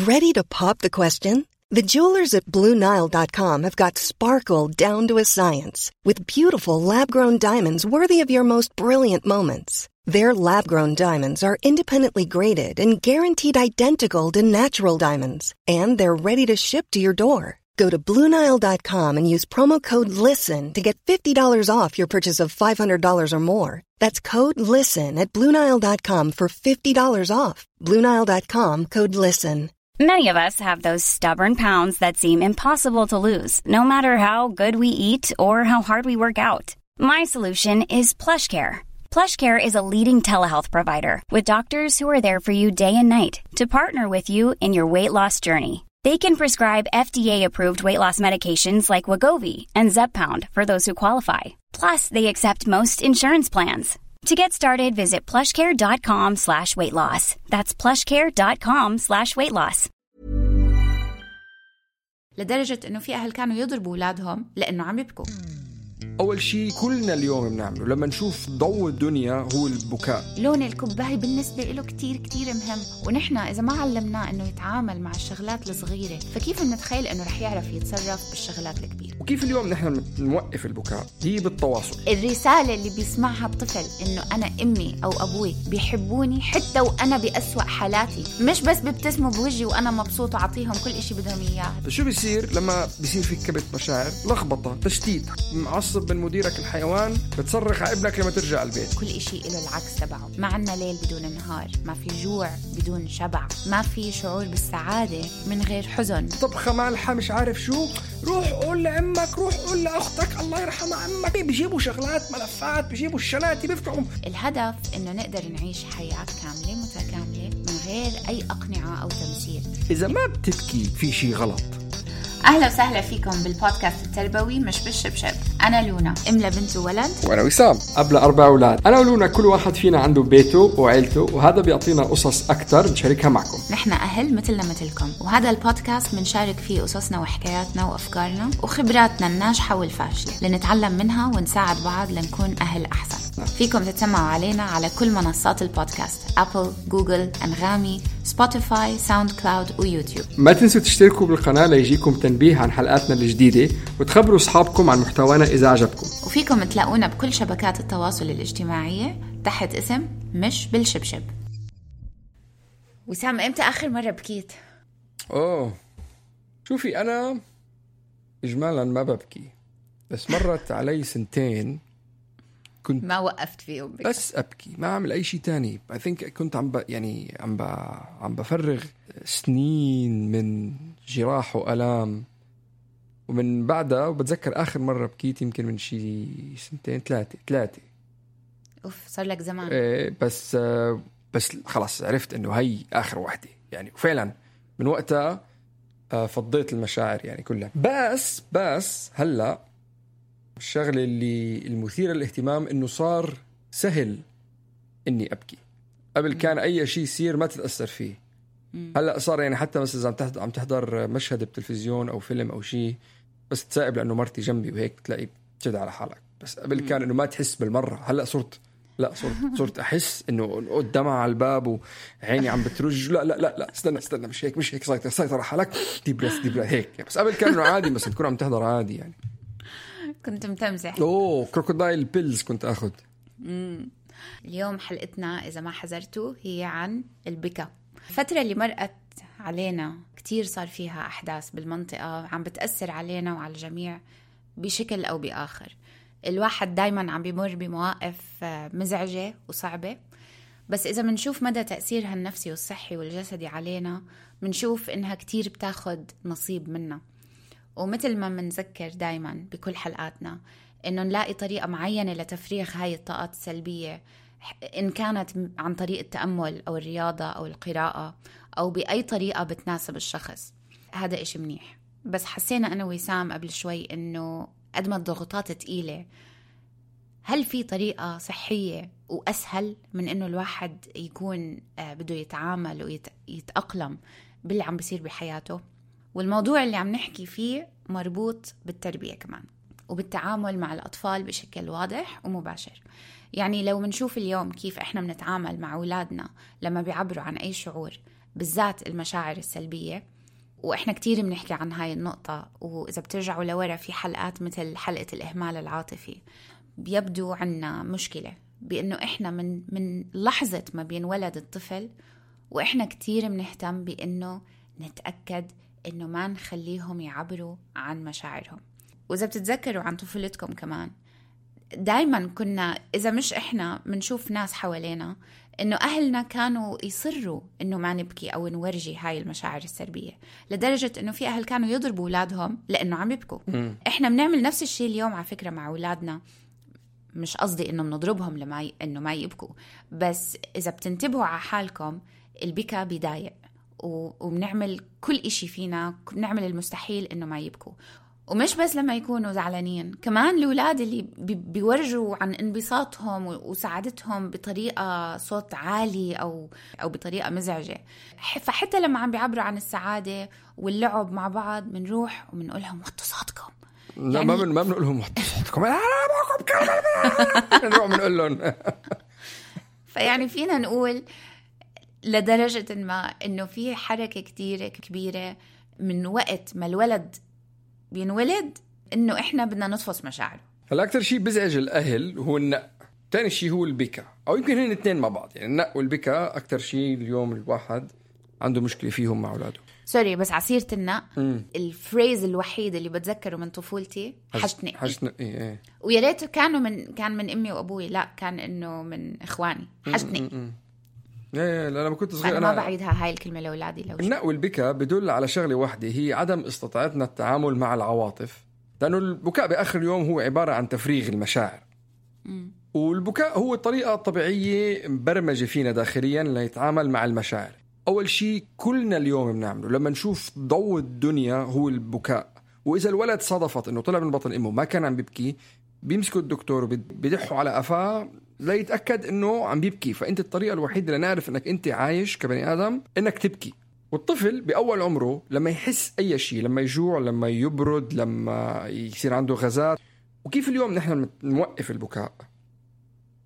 Ready to pop the question? The jewelers at BlueNile.com have got sparkle down to a science with beautiful lab-grown diamonds worthy of your most brilliant moments. Their lab-grown diamonds are independently graded and guaranteed identical to natural diamonds, and they're ready to ship to your door. Go to BlueNile.com and use promo code LISTEN to get $50 off your purchase of $500 or more. That's code LISTEN at BlueNile.com for $50 off. BlueNile.com, code LISTEN. Many of us have those stubborn pounds that seem impossible to lose, no matter how good we eat or how hard we work out. My solution is PlushCare. PlushCare is a leading telehealth provider with doctors who are there for you day and night to partner with you in your weight loss journey. They can prescribe FDA-approved weight loss medications like Wegovy and Zepbound for those who qualify. Plus, they accept most insurance plans. To get started, visit plushcare.com/weightloss. That's plushcare.com/weightloss. لدرجة إنه في أهل كانوا يضربوا أولادهم لأنه عم يبكوا. أول شيء كلنا اليوم بنعمله لما نشوف ضوء الدنيا هو البكاء. لون الكوباية بالنسبة له كتير كتير مهم، ونحن إذا ما علمناه إنه يتعامل مع الشغلات الصغيرة فكيف نتخيل إنه رح يعرف يتصرف بالشغلات الكبيرة؟ وكيف اليوم نحن نوقف البكاء؟ هي بالتواصل. الرسالة اللي بيسمعها الطفل إنه أنا أمي أو أبوي بيحبوني حتى وأنا بأسوأ حالاتي، مش بس بيبتسموا بوجهي وأنا مبسوط وعطيهم كل إشي بدهم إياه. شو بيصير لما بيصير في كبت مشاعر؟ لخبطة، تشتيت، معصب من مديرك الحيوان، بتصرخ على ابنك لما ترجع البيت. كل إشي له العكس تبعه. ما عنا ليل بدون نهار، ما في جوع بدون شبع، ما في شعور بالسعادة من غير حزن. طبخة مالحة مش عارف شو، روح قول لأمك، روح قول لأختك الله يرحمها عمك. بيجيبوا شغلات ملفات، بيجيبوا الشناتي بيفتحوا. الهدف إنه نقدر نعيش حياة كاملة متكاملة من غير أي أقنعة أو تمثيل. إذا ما بتبكي في شي غلط. أهلا وسهلا فيكم بالبودكاست التربوي مش بالشبشب. أنا لونا، أم لبنت وولد، وأنا وسام، أب ل4 أولاد. أنا ولونا كل واحد فينا عنده بيته وعيلته، وهذا بيعطينا قصص أكتر نشاركها معكم. نحن أهل مثلنا مثلكم، وهذا البودكاست منشارك فيه قصصنا وحكاياتنا وأفكارنا وخبراتنا الناجحة والفاشلة لنتعلم منها ونساعد بعض لنكون أهل أحسن. فيكم تتسمعوا علينا على كل منصات البودكاست: أبل، جوجل، أنغامي، سبوتيفاي، ساوند كلاود ويوتيوب. ما تنسوا تشتركوا بالقناة ليجيكم تنبيه عن حلقاتنا الجديدة، وتخبروا أصحابكم عن محتوانا إذا عجبكم. وفيكم تلاقونا بكل شبكات التواصل الاجتماعية تحت اسم مش بالشبشب. وسام، إمتى آخر مرة بكيت؟ شوفي، أنا إجمالا ما ببكي، بس مرت علي 2 كنت ما وقفت فيهم بك. بس أبكي، ما أعمل أي شيء تاني. I think كنت عم بفرغ سنين من جراح وألام، ومن بعدها وبتذكر آخر مرة بكيت يمكن من شي 2-3. صار لك زمان. بس خلاص عرفت إنه هي آخر واحدة يعني، وفعلا من وقتها فضيت المشاعر يعني كلها. بس هلأ الشغلة اللي المثيرة للاهتمام إنه صار سهل إني أبكي. قبل كان أي شيء يصير ما تتأثر فيه. هلأ صار يعني حتى مثلا إذا عم تحضر مشهد بتلفزيون أو فيلم أو شيء، بس تسائب لأنه مرتي جنبي وهيك تلاقي بتشد على حالك. بس قبل كان إنه ما تحس بالمرة. هلأ صرت أحس إنه قدامها على الباب وعيني عم بترج. لا استنى مش هيك سيطر على حالك، دي بريس هيك. بس قبل كان إنه عادي، بس تكون عم تحضر عادي يعني. كنت متمزح. كروكودايل بيلز كنت أخذ. اليوم حلقتنا إذا ما حذرتوا هي عن البكاء. الفترة اللي مرقت علينا كتير صار فيها أحداث بالمنطقة عم بتأثر علينا وعلى الجميع بشكل أو بآخر. الواحد دايما عم بيمر بمواقف مزعجة وصعبة، بس إذا منشوف مدى تأثيرها النفسي والصحي والجسدي علينا منشوف إنها كتير بتاخد نصيب منا. ومثل ما منذكر دايما بكل حلقاتنا إنه نلاقي طريقة معينة لتفريغ هاي الطاقات السلبية، إن كانت عن طريق التأمل أو الرياضة أو القراءة أو بأي طريقة بتناسب الشخص. هذا إشي منيح. بس حسينا أنا وسام قبل شوي إنه قد ما الضغوطات تقيلة، هل في طريقة صحية وأسهل من إنه الواحد يكون بده يتعامل ويتأقلم باللي عم بيصير بحياته؟ والموضوع اللي عم نحكي فيه مربوط بالتربية كمان وبالتعامل مع الأطفال بشكل واضح ومباشر. يعني لو منشوف اليوم كيف إحنا بنتعامل مع أولادنا لما بيعبروا عن أي شعور بالذات المشاعر السلبية. وإحنا كتير بنحكي عن هاي النقطة، وإذا بترجعوا لورا في حلقات مثل حلقة الإهمال العاطفي بيبدو عنا مشكلة بأنه إحنا من لحظة ما بينولد الطفل وإحنا كتير بنهتم بأنه نتأكد أنه ما نخليهم يعبروا عن مشاعرهم. وإذا بتتذكروا عن طفولتكم كمان، دايما كنا إذا مش إحنا منشوف ناس حوالينا إنه أهلنا كانوا يصروا إنه ما نبكي أو نورجي هاي المشاعر السلبية، لدرجة إنه في أهل كانوا يضربوا أولادهم لأنه عم يبكوا. إحنا بنعمل نفس الشيء اليوم على فكرة مع أولادنا. مش قصدي إنه بنضربهم إنه ما يبكوا، بس إذا بتنتبهوا على حالكم البكاء بيضايق، وبنعمل كل إشي فينا، بنعمل المستحيل إنه ما يبكوا. ومش بس لما يكونوا زعلانين، كمان الأولاد اللي بيورجوا عن انبساطهم وسعادتهم بطريقة صوت عالي أو بطريقة مزعجة. فحتى لما عم بيعبروا عن السعادة واللعب مع بعض بنروح وبنقول لهم وطوا صوتكم. لا يعني ما بنقول لهم وطوا صوتكم، نروح بنقول لهم. فيعني فينا نقول لدرجة ما إنه في حركة كتير كبيرة من وقت ما الولد بينولد إنه إحنا بدنا نطفص مشاعره. هلا أكتر شيء بزعج الأهل هو النق، تاني شيء هو البكاء، أو يمكن هن الاثنين مع بعض. يعني النق والبكاء أكتر شيء اليوم الواحد عنده مشكلة فيهم مع أولاده. سوري بس عصيرة النق الفريز الوحيد اللي بتذكره من طفولتي حشتنقي. إيه. ويا ريت كان من أمي وأبوي، لا كان إنه من إخواني حشتنقي. لا لما كنت صغير أنا ما بعيدها هاي الكلمة لأولادي. النق والبكاء بدل على شغلة واحدة، هي عدم استطاعتنا التعامل مع العواطف، لأنه البكاء بآخر اليوم هو عبارة عن تفريغ المشاعر. والبكاء هو الطريقة الطبيعية مبرمجة فينا داخليا لنتعامل مع المشاعر. أول شيء كلنا اليوم بنعمله لما نشوف ضوء الدنيا هو البكاء. وإذا الولد صادفت إنه طلع من بطن أمه ما كان عم بيبكي، بيمسكوا الدكتور وبيدحوا على قفاه لا يتأكد إنه عم بيبكي. فأنت الطريقة الوحيدة لنعرف إنك أنت عايش كبني آدم إنك تبكي. والطفل بأول عمره لما يحس أي شيء، لما يجوع، لما يبرد، لما يصير عنده غازات. وكيف اليوم نحن نوقف البكاء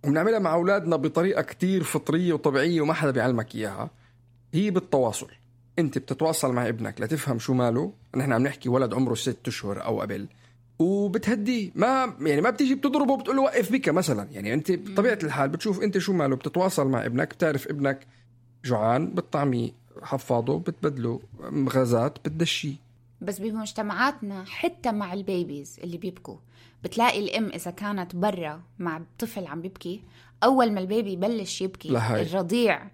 وبنعملها مع أولادنا بطريقة كتير فطرية وطبيعية وما حدا بيعلمك إياها، هي بالتواصل. أنت بتتواصل مع ابنك لتفهم شو ماله. نحن عم نحكي ولد عمره 6 أشهر أو قبل، وبتهديه. ما بتيجي بتضربه بتقول له وقف بكى مثلا. يعني انت بطبيعه الحال بتشوف انت شو ماله، بتتواصل مع ابنك، بتعرف ابنك جوعان، بتطعميه، حفاضه، بتبدله غازات، بتدشيه. بس بمجتمعاتنا حتى مع البيبيز اللي بيبكوا بتلاقي الام اذا كانت برا مع طفل عم بيبكي، اول ما البيبي يبلش يبكي الرضيع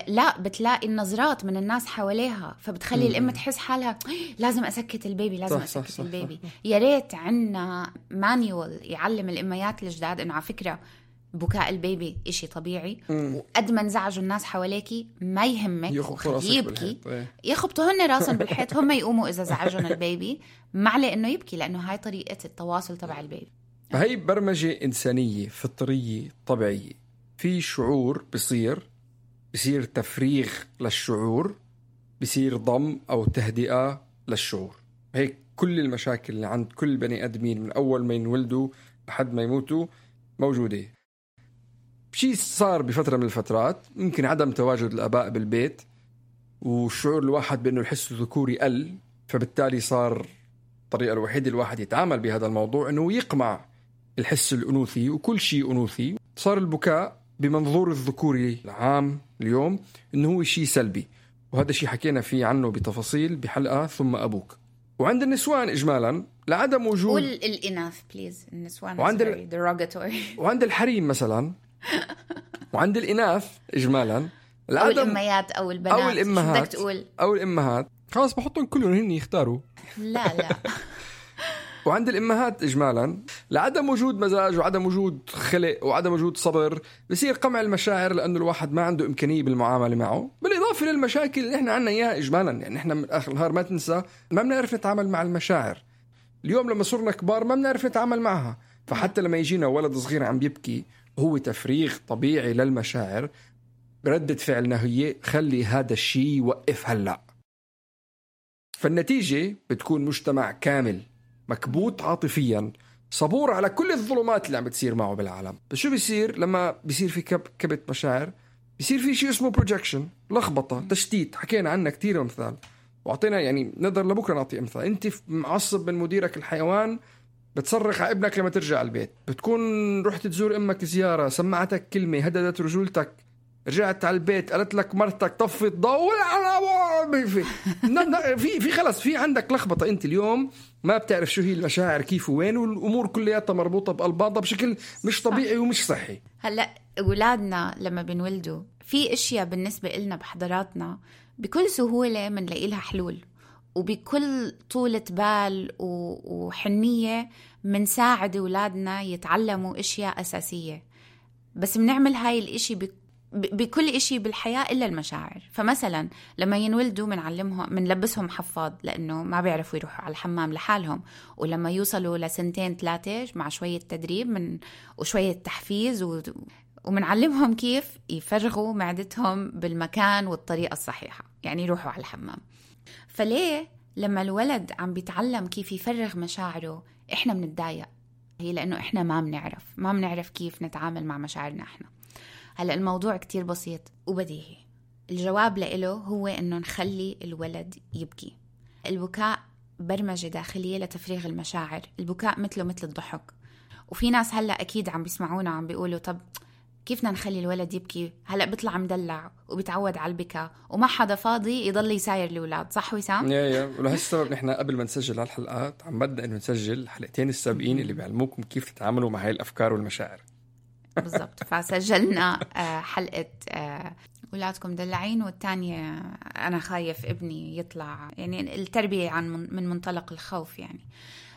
لا بتلاقي النظرات من الناس حواليها، فبتخلي الام تحس حالها لازم اسكت البيبي، لازم اسكت البيبي. يا ريت عنا مانيوال يعلم الاميات الجداد انه على فكره بكاء البيبي إشي طبيعي، وقد ما انزعجوا الناس حواليكي ما يهمك يبكي، يخبطوا هن راسهم بالحيط، هم يقوموا اذا زعجون البيبي، ما عليه انه يبكي، لانه هاي طريقه التواصل تبع البيبي. فهي برمجه انسانيه فطريه طبيعيه. في شعور بصير تفريغ للشعور، بصير ضم أو تهدئة للشعور. هيك كل المشاكل اللي عند كل بني آدمين من أول ما ينولدوا لحد ما يموتوا موجودة. بشي صار بفترة من الفترات، ممكن عدم تواجد الآباء بالبيت والشعور الواحد بأنه الحس الذكوري قل، فبالتالي صار الطريقة الوحيدة الواحد يتعامل بهذا الموضوع أنه يقمع الحس الأنوثي وكل شيء أنوثي. صار البكاء بمنظور الذكوري العام اليوم إنه هو شيء سلبي، وهذا الشيء حكينا فيه عنه بتفاصيل بحلقة ثم أبوك. وعند النسوان إجمالا لعدم وجود الإناث بليز، النسوان وعند الحريم مثلا وعند الإناث إجمالا أو الأميات أو البنات أو الأمهات أو الأمهات خلاص بحطهم كلهم هن يختاروا. لا وعند الإمهات إجمالا لعدم وجود مزاج وعدم وجود خلق وعدم وجود صبر بصير قمع المشاعر، لأنه الواحد ما عنده إمكانية بالمعاملة معه، بالإضافة للمشاكل اللي إحنا عنا إياها إجمالا. يعني إحنا من آخر النهار ما تنسى ما بنعرف نتعامل مع المشاعر. اليوم لما صرنا كبار ما بنعرف نتعامل معها، فحتى لما يجينا ولد صغير عم بيبكي هو تفريغ طبيعي للمشاعر، ردة فعلنا هي خلي هذا الشيء يوقف هلأ. فالنتيجة بتكون مجتمع كامل مكبوت عاطفيا، صبور على كل الظلمات اللي عم بتصير معه بالعالم. بس شو بيصير لما بيصير في كبت مشاعر؟ بيصير في شيء اسمه بروجكشن، لخبطة، تشتيت. حكينا عنها كتير أمثال وعطينا يعني نقدر لبكرة نعطي أمثال. أنت معصب من مديرك الحيوان، بتصرخ على ابنك لما ترجع البيت. بتكون رحت تزور أمك زيارة، سمعتك كلمة هددت رجولتك، رجعت على البيت قالت لك مرتك طفت ضوء في خلص في عندك لخبطة. أنت اليوم ما بتعرف شو هي المشاعر كيف وين، والأمور كلها مربوطة بقلب بعضها بشكل مش طبيعي ومش صحي. هلأ أولادنا لما بنولدوا في أشياء بالنسبة إلنا بحضاراتنا بكل سهولة منلاقي لها حلول، وبكل طولة بال وحنية منساعد أولادنا يتعلموا أشياء أساسية. بس بنعمل هاي الإشي بكل إشي بالحياة إلا المشاعر. فمثلا لما ينولدوا منعلمهم، منلبسهم حفاض لأنه ما بيعرفوا يروحوا على الحمام لحالهم، ولما يوصلوا لسنتين 3 مع شوية تدريب وشوية تحفيز ومنعلمهم كيف يفرغوا معدتهم بالمكان والطريقة الصحيحة، يعني يروحوا على الحمام. فليه لما الولد عم بيتعلم كيف يفرغ مشاعره إحنا بنتضايق؟ هي لأنه إحنا ما بنعرف كيف نتعامل مع مشاعرنا إحنا. هلأ الموضوع كتير بسيط وبديهي. الجواب له هو إنه نخلي الولد يبكي. البكاء برمجة داخلية لتفريغ المشاعر. البكاء مثل الضحك. وفي ناس هلأ أكيد عم بيسمعونا عم بيقولوا طب كيف بدنا نخلي الولد يبكي؟ هلأ بيطلع مدلع وبيتعود على البكاء وما حدا فاضي يضل يساير الأولاد، صح وسام؟ يا ولهالسبب نحن قبل ما نسجل هالحلقات عم بدنا إنه نسجل الحلقتين السابقين اللي بيعلموكم كيف تتعاملوا مع هاي الأفكار والمشاعر. بالضبط. فسجلنا حلقة أولادكم دلعين، والتانية أنا خايف ابني يطلع، يعني التربية من منطلق الخوف يعني.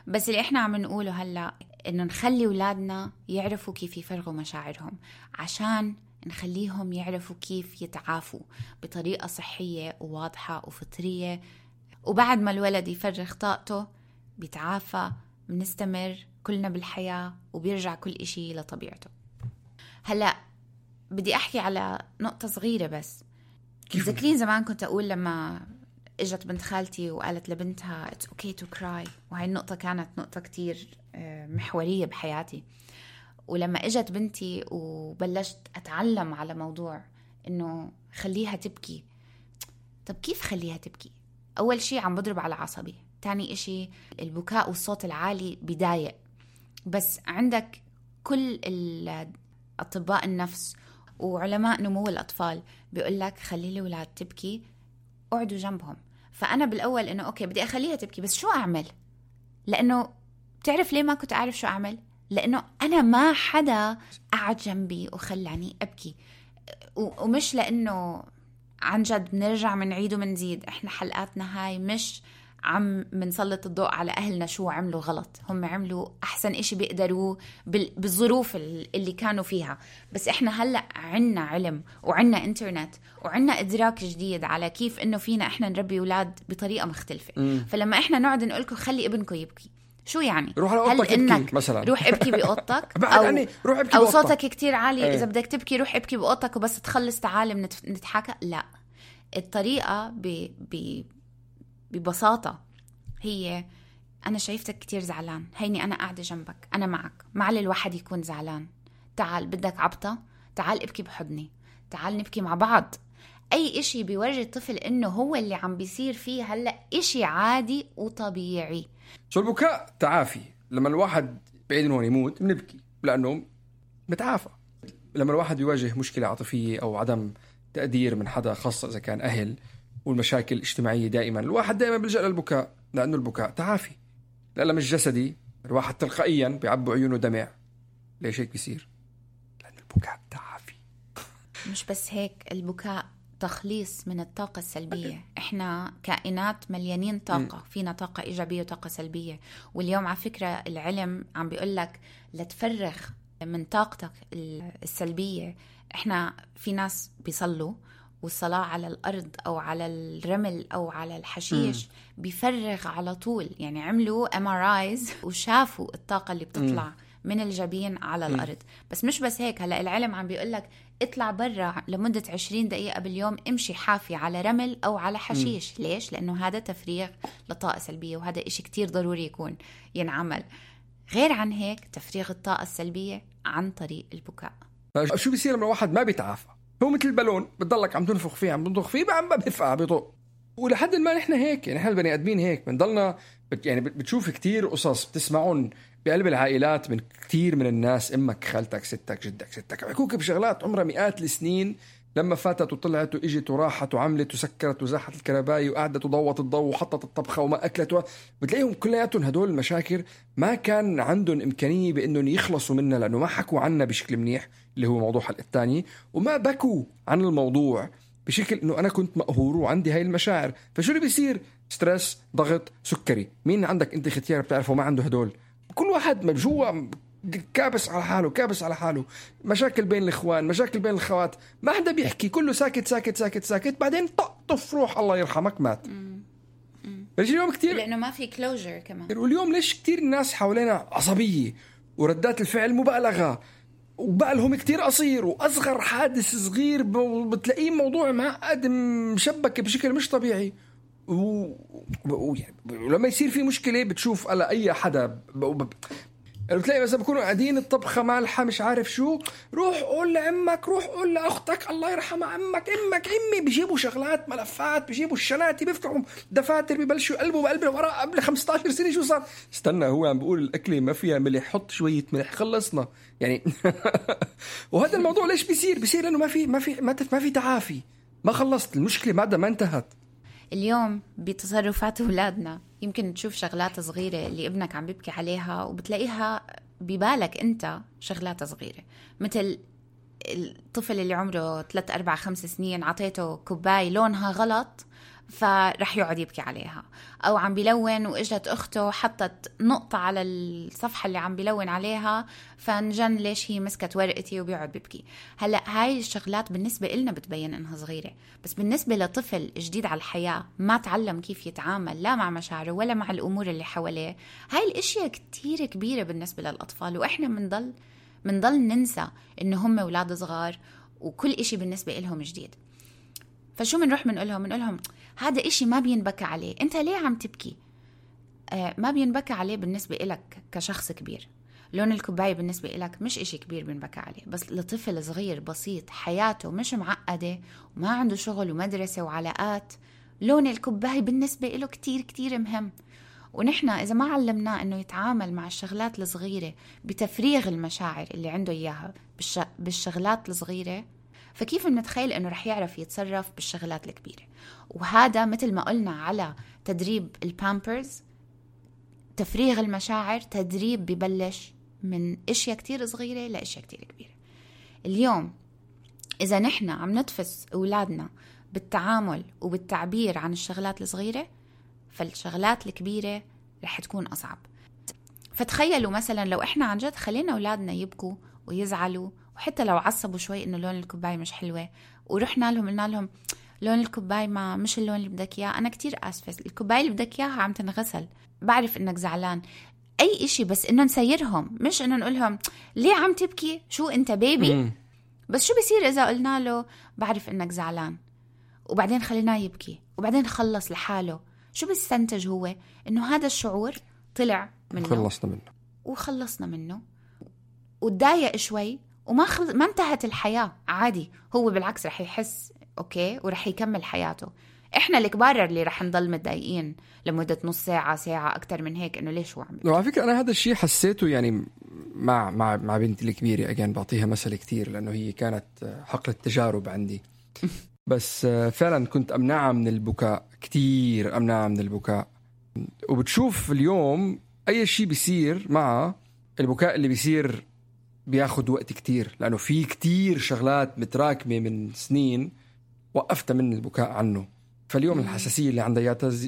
بس اللي إحنا عم نقوله هلأ إنه نخلي أولادنا يعرفوا كيف يفرغوا مشاعرهم، عشان نخليهم يعرفوا كيف يتعافوا بطريقة صحية وواضحة وفطرية. وبعد ما الولد يفرغ طاقته بيتعافى، بنستمر كلنا بالحياة وبيرجع كل إشي لطبيعته. هلأ بدي أحكي على نقطة صغيرة بس. تذكرين زمان كنت أقول لما إجت بنت خالتي وقالت لبنتها It's okay to cry، وهي النقطة كانت نقطة كتير محورية بحياتي. ولما إجت بنتي وبلشت أتعلم على موضوع إنه خليها تبكي. طب كيف خليها تبكي؟ أول شيء عم بضرب على عصبي، تاني إشي البكاء والصوت العالي بضايق. بس عندك كل أطباء النفس وعلماء نمو الأطفال بيقول لك خلي الأولاد تبكي، اقعدوا جنبهم. فأنا بالأول إنه أوكي بدي أخليها تبكي، بس شو أعمل؟ لأنه بتعرف ليه ما كنت أعرف شو أعمل؟ لأنه أنا ما حدا قعد جنبي وخلاني أبكي. ومش لأنه عن جد بنرجع منعيد ومنزيد. إحنا حلقاتنا هاي مش عم منسلط الضوء على أهلنا شو عملوا غلط، هم عملوا أحسن إشي بيقدروا بالظروف اللي كانوا فيها. بس إحنا هلأ عنا علم وعنا إنترنت وعنا إدراك جديد على كيف إنه فينا إحنا نربي أولاد بطريقة مختلفة. فلما إحنا نقعد نقولكم خلي ابنكم يبكي، شو يعني؟ روح على أوضتك ابكي مثلا، روح ابكي بأوضتك أو صوتك كتير عالي إذا بدك تبكي روح ابكي بأوضتك وبس تخلص تعال نتحكى. لا، الطريقة ببساطة هي أنا شايفتك كتير زعلان، هيني أنا قاعدة جنبك، أنا معك، معلي الواحد يكون زعلان، تعال بدك عبطة، تعال ابكي بحضني، تعال نبكي مع بعض. أي إشي بيورجي الطفل إنه هو اللي عم بيصير فيه هلأ إشي عادي وطبيعي. شو البكاء تعافي. لما الواحد بعيد إنه يموت بنبكي لأنه بتعافى. لما الواحد يواجه مشكلة عاطفية أو عدم تقدير من حدا، خاصة إذا كان أهل، والمشاكل الاجتماعية دائما الواحد دائما بيلجأ للبكاء، لأنه البكاء تعافي. الألم الجسدي الواحد تلقائيا بيعبوا عيونه دمع. ليش هيك بيصير؟ لأن البكاء تعافي. مش بس هيك، البكاء تخليص من الطاقة السلبية. إحنا كائنات مليانين طاقة، فينا طاقة إيجابية وطاقة سلبية. واليوم على فكرة العلم عم بيقولك لتفرغ من طاقتك السلبية. إحنا في ناس بيصلوا والصلاة على الأرض أو على الرمل أو على الحشيش بيفرغ على طول. يعني عملوا MRIs وشافوا الطاقة اللي بتطلع من الجبين على الأرض. بس مش بس هيك، هلأ العلم عم بيقولك اطلع برا لمدة 20 دقيقة باليوم، امشي حافي على رمل أو على حشيش. ليش؟ لأنه هذا تفريغ لطاقة سلبية، وهذا إشي كتير ضروري يكون ينعمل. غير عن هيك تفريغ الطاقة السلبية عن طريق البكاء. شو بيصير لما الواحد ما بيتعافى؟ هو مثل البالون بتضلك عم تنفخ فيه عم تنفخ فيه عم بيرفع بيطق. ولحد ما نحن هيك يعني، نحن البني ادمين هيك بنضلنا يعني بتشوف كتير قصص بتسمعون بقلب العائلات من كتير من الناس، امك خالتك ستك جدك ستك بيحكوك بشغلات عمرها مئات السنين، لما فاتت وطلعت واجت وراحت وعملت وسكرت وزاحت الكرباي وقعدت وضوت الضوء وحطت الطبخه وما اكلت بتلاقيهم كلياتهم هدول المشاكل ما كان عندهم امكانيه بانهم يخلصوا منها، لانه ما حكوا عنها بشكل منيح اللي هو موضوع حلقه الثاني، وما بكوا عن الموضوع بشكل انه انا كنت مقهور وعندي هاي المشاعر. فشو اللي بيصير؟ ستريس، ضغط، سكري. مين عندك انت ختيار بتعرفه ما عنده هدول؟ كل واحد من جوا كابس على حاله، كابس على حاله، مشاكل بين الاخوان، مشاكل بين الخوات، ما حدا بيحكي، كله ساكت ساكت ساكت ساكت، بعدين طف روح الله يرحمك مات. ليش اليوم كتير؟ لانه ما في كلوجر كمان. واليوم ليش كتير الناس حوالينا عصبيه وردات الفعل مبالغه وبقى لهم كتير قصير، واصغر حادث صغير بتلاقيه موضوع معقد مشبك بشكل مش طبيعي. ولما يصير في مشكله بتشوف على اي حدا بتلاقي مثلا بكونوا قاعدين الطبخه مالحه مش عارف شو، روح قول لعمك، روح قول لاختك الله يرحمها، عمك امك امي، بيجيبوا شغلات ملفات، بيجيبوا الشناتي، بيفتحوا دفاتر، بيبلشوا يقلبوا بقلب الورق قبل 15 سنه. شو صار؟ استنى هو عم بيقول الاكله ما فيها ملح، حط شويه ملح خلصنا يعني. وهذا الموضوع ليش بيصير لانه ما في تعافي، ما خلصت المشكله بعدها ما انتهت. اليوم بتصرفات أولادنا يمكن تشوف شغلات صغيرة اللي ابنك عم بيبكي عليها وبتلاقيها ببالك أنت شغلات صغيرة، مثل الطفل اللي عمره 3 4 5 سنين عطيته كوباي لونها غلط فرح يقعد يبكي عليها، أو عم بيلون وإجت أخته حطت نقطة على الصفحة اللي عم بيلون عليها فنجن ليش هي مسكت ورقتي وبيقعد بيبكي. هلأ هاي الشغلات بالنسبة إلنا بتبين إنها صغيرة، بس بالنسبة لطفل جديد على الحياة ما تعلم كيف يتعامل لا مع مشاعره ولا مع الأمور اللي حواليه، هاي الأشياء كتير كبيرة بالنسبة للأطفال، وإحنا منضل ننسى إنه هم أولاد صغار وكل إشي بالنسبة إلهم جديد. فشو منروح منقولهم هذا إشي ما بينبكى عليه، أنت ليه عم تبكي؟ ما بينبكى عليه بالنسبة إلك كشخص كبير، لون الكوباية بالنسبة إلك مش إشي كبير بينبكى عليه، بس لطفل صغير بسيط حياته مش معقدة وما عنده شغل ومدرسة وعلاقات، لون الكوباية بالنسبة إله كتير كتير مهم. ونحن إذا ما علمناه إنه يتعامل مع الشغلات الصغيرة بتفريغ المشاعر اللي عنده إياها بالشغلات الصغيرة، فكيف نتخيل إنه رح يعرف يتصرف بالشغلات الكبيرة؟ وهذا مثل ما قلنا على تدريب البامبرز، تفريغ المشاعر تدريب ببلش من اشياء كتير صغيرة لاشياء كتير كبيرة. اليوم اذا نحن عم نتفس اولادنا بالتعامل وبالتعبير عن الشغلات الصغيرة، فالشغلات الكبيرة رح تكون اصعب. فتخيلوا مثلا لو احنا عن جد خلينا اولادنا يبكوا ويزعلوا وحتى لو عصبوا شوي انه لون الكوباية مش حلوة، ورحنا لهم قلنا لهم لون الكوباية ما مش اللون اللي بدك اياه، انا كتير اسفة، الكوباية اللي بدك اياها عم تنغسل، بعرف انك زعلان، اي اشي، بس انه نسيرهم، مش انه نقولهم ليه عم تبكي، شو انت بيبي؟ بس شو بيصير اذا قلنا له بعرف انك زعلان وبعدين خليناه يبكي وبعدين خلص لحاله؟ شو بيستنتج هو؟ انه هذا الشعور طلع منه وخلصنا منه وتضايق شوي وما ما انتهت الحياة عادي، هو بالعكس رح يحس اوكي ورح يكمل حياته. احنا الكبار اللي رح نضل متضايقين لمدة نص ساعة ساعة اكتر من هيك، انه ليش هو عم وعلى فكرة انا هذا الشيء حسيته يعني مع بنتي الكبيرة، اجان بعطيها مثل كتير لانه هي كانت حقل التجارب عندي. بس فعلا كنت امنعها من البكاء، كتير امنعها من البكاء. وبتشوف اليوم اي شيء بيصير مع البكاء اللي بيصير بياخد وقت كتير، لانه في كتير شغلات متراكمة من سنين وقفت من البكاء عنه. فاليوم الحساسية اللي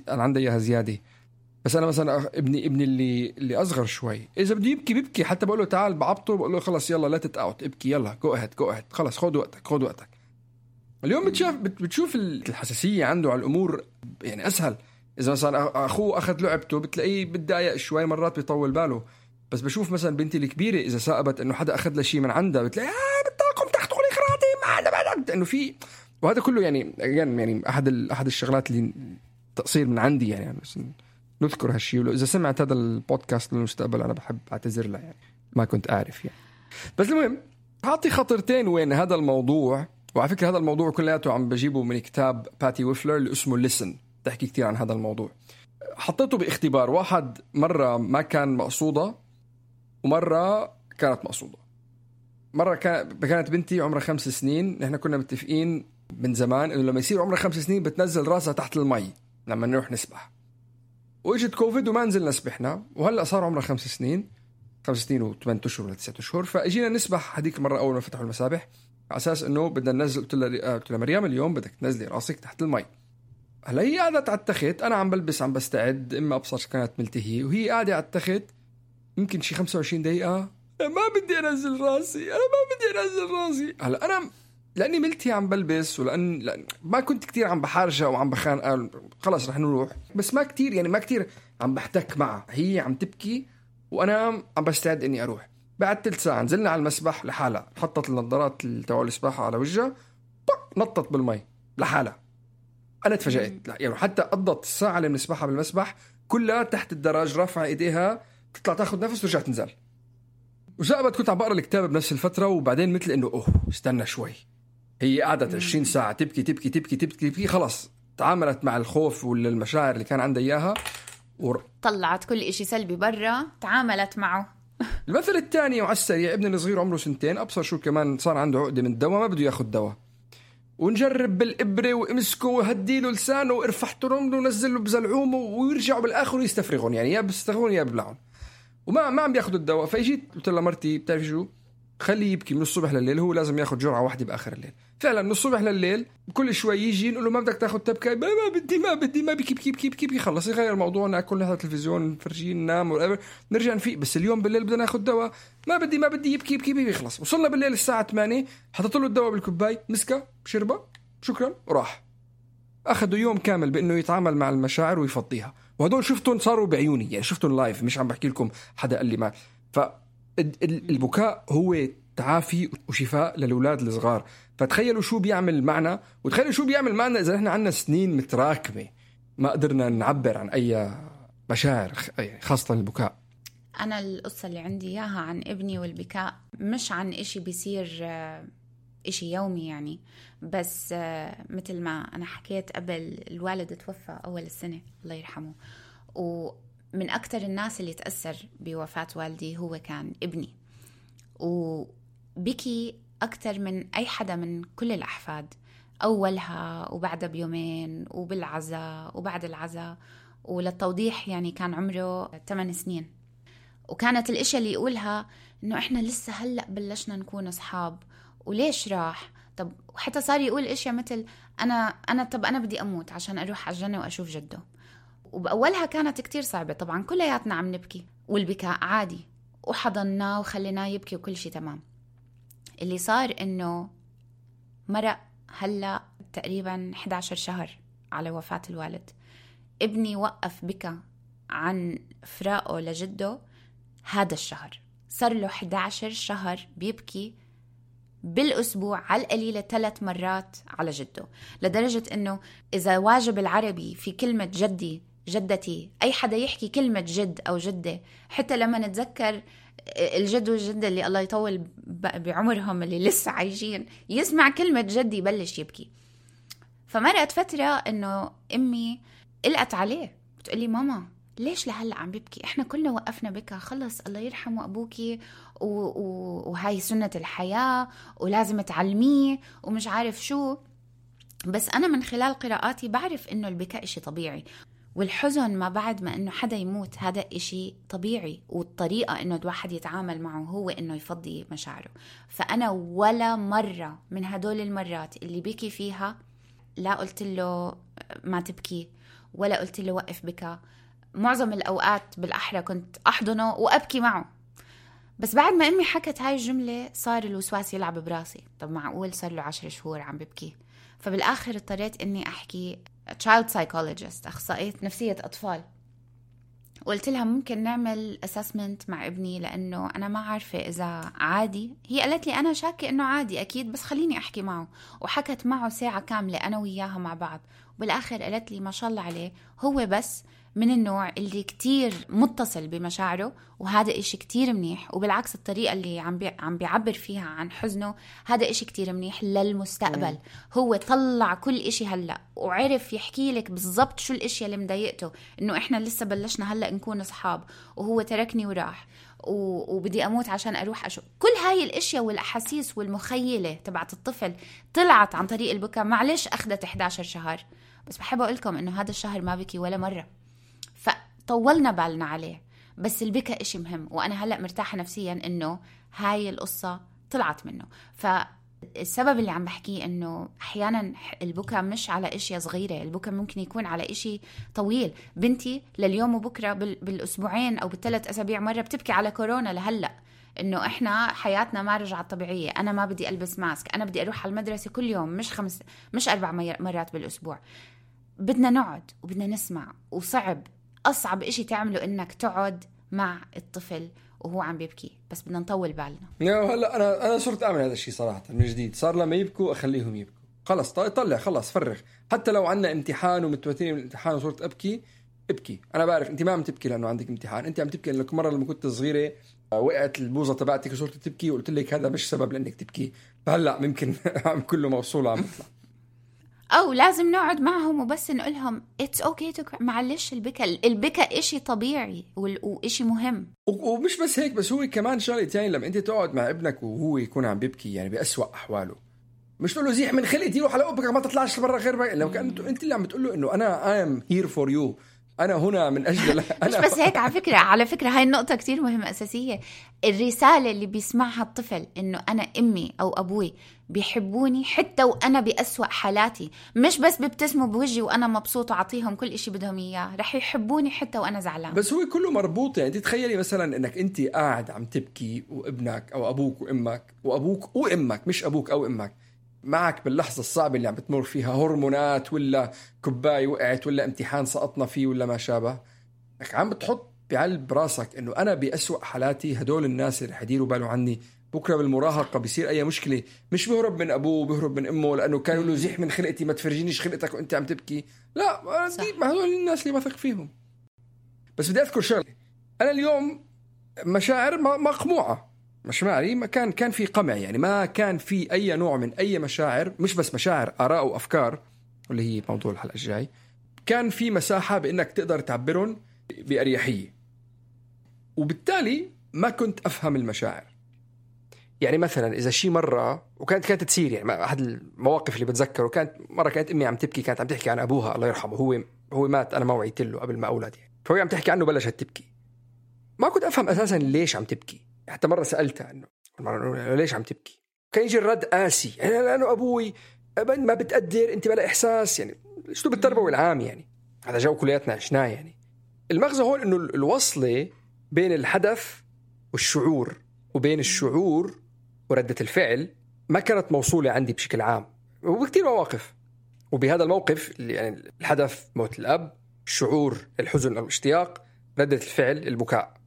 عندي اياها زيادة. بس انا مثلا ابني اللي اصغر شوي اذا بده يبكي بيبكي، حتى بقول له تعال بعبطه بقول له خلص يلا لا تتقاوت ابكي، يلا جو اهد خلص خد وقتك. اليوم بتشوف الحساسية عنده على الامور يعني اسهل. اذا مثلا اخوه اخذ لعبته بتلاقيه بتضايق شوي، مرات بيطول باله. بس بشوف مثلا بنتي الكبيرة اذا سأبت انه حدا اخذ له شيء من عندها بتلاقي بتطاقم تحت لي خراتي ما انا بدك، انه في. وهذا كله يعني احد الشغلات اللي تقصير من عندي يعني بس نذكر هالشيء. ولو اذا سمعت هذا البودكاست للمستقبل انا بحب اعتذر لها، يعني ما كنت اعرف يعني. بس المهم اعطي خطرتين وين هذا الموضوع وعلى فكرة هذا الموضوع كلياته عم بجيبه من كتاب باتي ويفلر اللي اسمه Listen، تحكي كتير عن هذا الموضوع. حطيته باختبار، واحد مرة ما كان مقصودة ومرة كانت مقصودة. مرة كانت بنتي عمرها 5 سنين، نحن كنا متفقين من زمان إنه لما يصير عمرها 5 سنين بتنزل راسها تحت المي لما نروح نسبح، وإجت كوفيد وما نزلنا سبحنا، وهلأ صار عمرها 5 سنين 5 سنين و8 أشهر ولا 9 أشهر. فأجينا نسبح هذيك المرة أول ما فتحوا المسابح على أساس إنه بدنا ننزل. قلت لها مريم اليوم بدك تنزلي راسك تحت المي. هلا هي قاعدة على التخت، أنا عم بلبس عم بستعد، إما أبصر كانت ملتهي، وهي قاعدة على التخت يمكن شي 25 دقيقة. ما بدي أنزل راسي، أنا ما بدي أنزل راسي. هلا أنا لأني ملتهي عم بلبس، لأن ما كنت كتير عم بحارجة وعم بخان، خلاص رح نروح، بس ما كتير يعني ما كتير عم بحتك معها. هي عم تبكي وأنا عم بستعد إني أروح. بعد 3 ساعة نزلنا على المسبح لحالها، حطت النظارات تبع السباحة على وجهها، نطت بالمي لحالها. أنا تفاجأت، يعني حتى قضت الساعة اللي بنسبحها بالمسبح كلها تحت الدراج رافعة إيديها تطلع تاخد نفس ورجعت تنزل. وزابت كنت عم بقرأ الكتاب بنفس الفترة، وبعدين مثل إنه استنى شوي، هي قعدت 20 ساعة تبكي تبكي تبكي تبكي تبكي، خلاص تعاملت مع الخوف والمشاعر اللي كان عندها إياها طلعت كل إشي سلبي برا، تعاملت معه. المثل الثاني وعلى السريع، ابني الصغير عمره 2 سنين، أبصر شو كمان صار عنده عقدة من الدواء، ما بده ياخد دواء، ونجرب بالإبرة وامسكه وهديله لسانه وارفحته رمله ونزله بزلعومه ويرجعوا بالآخر يستفرغون، يعني يا بيستفرغون يا ببلعون، وما عم بياخدوا الدواء. فاجيت قلت لها مرتي بتعرفي شو، خليه يبكي من الصبح لليل، هو لازم ياخد جرعة واحدة بآخر الليل. فعلا من الصبح لليل كل شوي يجي نقول له ما بدك تاخد تبكي، ما بدي ما بكي خلص يغير الموضوع، ناكل نحضر تلفزيون نفرجيه ننام نرجع نفيق، بس اليوم بالليل بدنا ناخد دواء، ما بدي يبكي خلص. وصلنا بالليل الساعة 8، حطيت له الدواء بالكوباي، مسكه شربه شكرا وراح. أخذوا يوم كامل بأنه يتعامل مع المشاعر ويفضيها، وهدول شفتهم صاروا بعيوني، يعني شفتهم لايف، مش عم بحكي لكم حدا قال لي ما. فالبكاء هو تعافي وشفاء للأولاد الصغار. فتخيلوا شو بيعمل معنا، وتخيلوا شو بيعمل معنا إذا إحنا عنا سنين متراكمة ما قدرنا نعبر عن أي مشاعر، خاصة البكاء. أنا القصة اللي عندي إياها عن ابني والبكاء مش عن إشي بيصير إشي يومي يعني، بس مثل ما أنا حكيت قبل، الوالد توفى أول السنة الله يرحمه، ومن أكتر الناس اللي تأثر بوفاة والدي هو كان ابني، وبكي أكتر من أي حدا من كل الأحفاد، أولها وبعدها بيومين وبالعزاء وبعد العزاء. وللتوضيح يعني كان عمره 8 سنين، وكانت الاشياء اللي يقولها إنه إحنا لسه هلأ بلشنا نكون أصحاب، وليش راح، طب وحتى صار يقول اشياء مثل أنا بدي أموت عشان أروح على الجنة وأشوف جده. وبأولها كانت كتير صعبة طبعا، كلياتنا عم نبكي والبكاء عادي، وحضناه وخليناه يبكي وكل شيء تمام. اللي صار إنه مرق هلأ تقريبا 11 شهر على وفاة الوالد، ابني وقف بكى عن فراقه لجده هذا الشهر، صار له 11 شهر بيبكي بالأسبوع على القليلة 3 مرات على جده، لدرجة إنه إذا واجب العربي في كلمة جدي جدتي، أي حدا يحكي كلمة جد أو جدة، حتى لما نتذكر الجد والجدة اللي الله يطول بعمرهم اللي لسه عايشين، يسمع كلمة جدي يبلش يبكي. فمرقت فترة إنه أمي قلقت عليه، بتقولي ماما ليش لهلأ عم بيبكي، إحنا كلنا وقفنا بكى، خلص الله يرحمه أبوكي وهاي سنة الحياة ولازم تعلميه ومش عارف شو. بس أنا من خلال قراءاتي بعرف إنه البكاء إشي طبيعي، والحزن ما بعد ما إنه حدا يموت هذا إشي طبيعي، والطريقة إنه الواحد يتعامل معه هو إنه يفضي مشاعره. فأنا ولا مرة من هدول المرات اللي بكي فيها لا قلت له ما تبكي ولا قلت له وقف بكى. معظم الأوقات بالأحرى كنت أحضنه وأبكي معه. بس بعد ما أمي حكت هاي الجملة صار الوسواس يلعب براسي، طب معقول صار له 10 شهور عم ببكي؟ فبالآخر اضطريت إني أحكي child psychologist، أخصائية نفسية أطفال، وقلت لها ممكن نعمل assessment مع ابني لأنه أنا ما عارفة إذا عادي. هي قالت لي أنا شاكة إنه عادي أكيد، بس خليني أحكي معه. وحكت معه ساعة كاملة أنا وياها مع بعض، بالآخر قالت لي ما شاء الله عليه هو بس من النوع اللي كتير متصل بمشاعره، وهذا إشي كتير منيح. وبالعكس الطريقة اللي عم بيعبر فيها عن حزنه هذا إشي كتير منيح للمستقبل. هو طلع كل إشي هلأ وعرف يحكي لك بالضبط شو الإشياء اللي مضايقته، إنه إحنا لسه بلشنا هلأ نكون أصحاب وهو تركني وراح وبدي أموت عشان أروح أشوف. كل هاي الأشياء والأحاسيس والمخيلة تبعت الطفل طلعت عن طريق البكاء. معلش أخذت 11 شهر، بس بحب أقولكم إنه هذا الشهر ما بكي ولا مرة، فطولنا بالنا عليه. بس البكاء إشي مهم، وأنا هلأ مرتاحة نفسيا إنه هاي القصة طلعت منه. فالسبب اللي عم بحكيه إنه أحيانا البكاء مش على إشي صغيرة، البكاء ممكن يكون على إشي طويل. بنتي لليوم وبكرة بالأسبوعين أو بالثلاث أسابيع مرة بتبكي على كورونا لهلأ، إنه إحنا حياتنا ما رجعت طبيعية، أنا ما بدي ألبس ماسك، أنا بدي أروح على المدرسة كل يوم مش 4 مرات بالأسبوع. بدنا نقعد وبدنا نسمع، وصعب أصعب إشي تعمله إنك تقعد مع الطفل وهو عم بيبكي، بس بدنا نطول بالنا. هلا أنا صرت أعمل هذا الشيء صراحة من جديد. صار لما يبكوا أخليهم يبكوا، خلص طلع خلص فرغ. حتى لو عنا امتحان ومتوترين من الامتحان وصرت ابكي. أنا بعرف أنت ما عم تبكي لأنه عندك امتحان، أنت عم تبكي لأنك مرة لما كنت صغيرة وقعت البوظة تبعتك وصرت تبكي وقلت لك هذا مش سبب لأنك تبكي. فهلا ممكن عم كله موصول عم يطلع. أو لازم نقعد معهم وبس نقولهم it's okay to معلش البكاء إشي طبيعي وإشي مهم. ومش بس هيك، بس هو كمان شغلة تاني لما أنت تقعد مع ابنك وهو يكون عم بيبكي يعني بأسوأ أحواله، مش تقول له زيح من خلقتي روح على أبك ما تطلعش برا غير بقى. لو كان أنت اللي عم بتقول له إنه أنا I am here for you، أنا هنا من أجل مش بس هيك. على فكرة هاي النقطة كتير مهمة أساسية. الرسالة اللي بيسمعها الطفل إنه أنا أمي أو أبوي بيحبوني حتى وأنا بأسوأ حالاتي، مش بس بيبتسموا بوجهي وأنا مبسوط وعطيهم كل إشي بدهم إياه، رح يحبوني حتى وأنا زعلان. بس هو كله مربوط. يعني تتخيلي مثلا إنك أنت قاعد عم تبكي وابنك أو أبوك وأمك مش أبوك أو أمك معك باللحظة الصعبة اللي عم بتمر فيها، هرمونات ولا كوباية وقعت ولا امتحان سقطنا فيه ولا ما شابه، عم بتحط بعلب راسك إنه أنا بأسوأ حالاتي هدول الناس اللي حيديروا بالو عني. بكرة بالمراهقة بيصير أي مشكلة مش بيهرب من أبوه بيهرب من أمه لأنه كانوا له زيح من خلقتي ما تفرجينيش خلقتك وأنت عم تبكي. لا ما هدول الناس اللي بثق فيهم. بس بدي أذكر شغلة، أنا اليوم مشاعر مقموعة، مشاعري ما كان في قمع، يعني ما كان في أي نوع من أي مشاعر، مش بس مشاعر، آراء وأفكار واللي هي موضوع الحلقة الجاي. كان في مساحة بأنك تقدر تعبرهم بأريحية، وبالتالي ما كنت أفهم المشاعر. يعني مثلا إذا شي مرة وكانت تصير، يعني أحد المواقف اللي بتذكره كانت مرة كانت أمي عم تبكي، كانت عم تحكي عن أبوها الله يرحمه، هو مات أنا ما وعيت له قبل ما أولد يعني. فهو عم تحكي عنه بلشت تبكي، ما كنت أفهم أساسا ليش عم تبكي. حتى مرة سألتها إنه ليش عم تبكي، كان يجي الرد قاسي، يعني لأنه أبوي ما بتقدر، أنت بلا إحساس، يعني شو بالتربوي العام، يعني هذا جو كلياتنا عشناه. يعني المغزى هون إنه الوصلة بين الحدث والشعور وبين الشعور وردة الفعل ما كانت موصولة عندي بشكل عام، وبكتير مواقف. وبهذا الموقف يعني الحدث موت الأب، الشعور الحزن أو الاشتياق، ردة الفعل البكاء.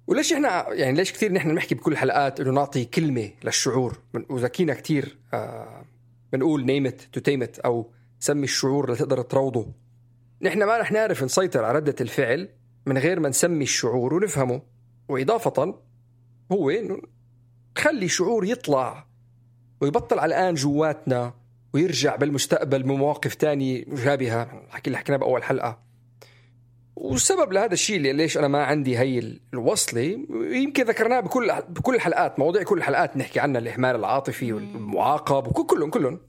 وليش إحنا يعني ليش كتير نحن نحكي بكل الحلقات إنه نعطي كلمة للشعور، وذكينا كتير بنقول name it to tame it أو سمي الشعور لتقدر تروضه. نحن ما رح نعرف نسيطر على ردة الفعل من غير ما نسمي الشعور ونفهمه. وإضافة هو إنه خلي الشعور يطلع ويبطل على الآن جواتنا ويرجع بالمستقبل بمواقف تانية مشابهة، الحكي اللي حكيناه بأول حلقة. والسبب لهذا الشيء اللي ليش أنا ما عندي هاي الوصلة يمكن ذكرناه بكل الحلقات، مواضيع كل الحلقات نحكي عنها، الإهمال العاطفي والمعاقب وكلهم.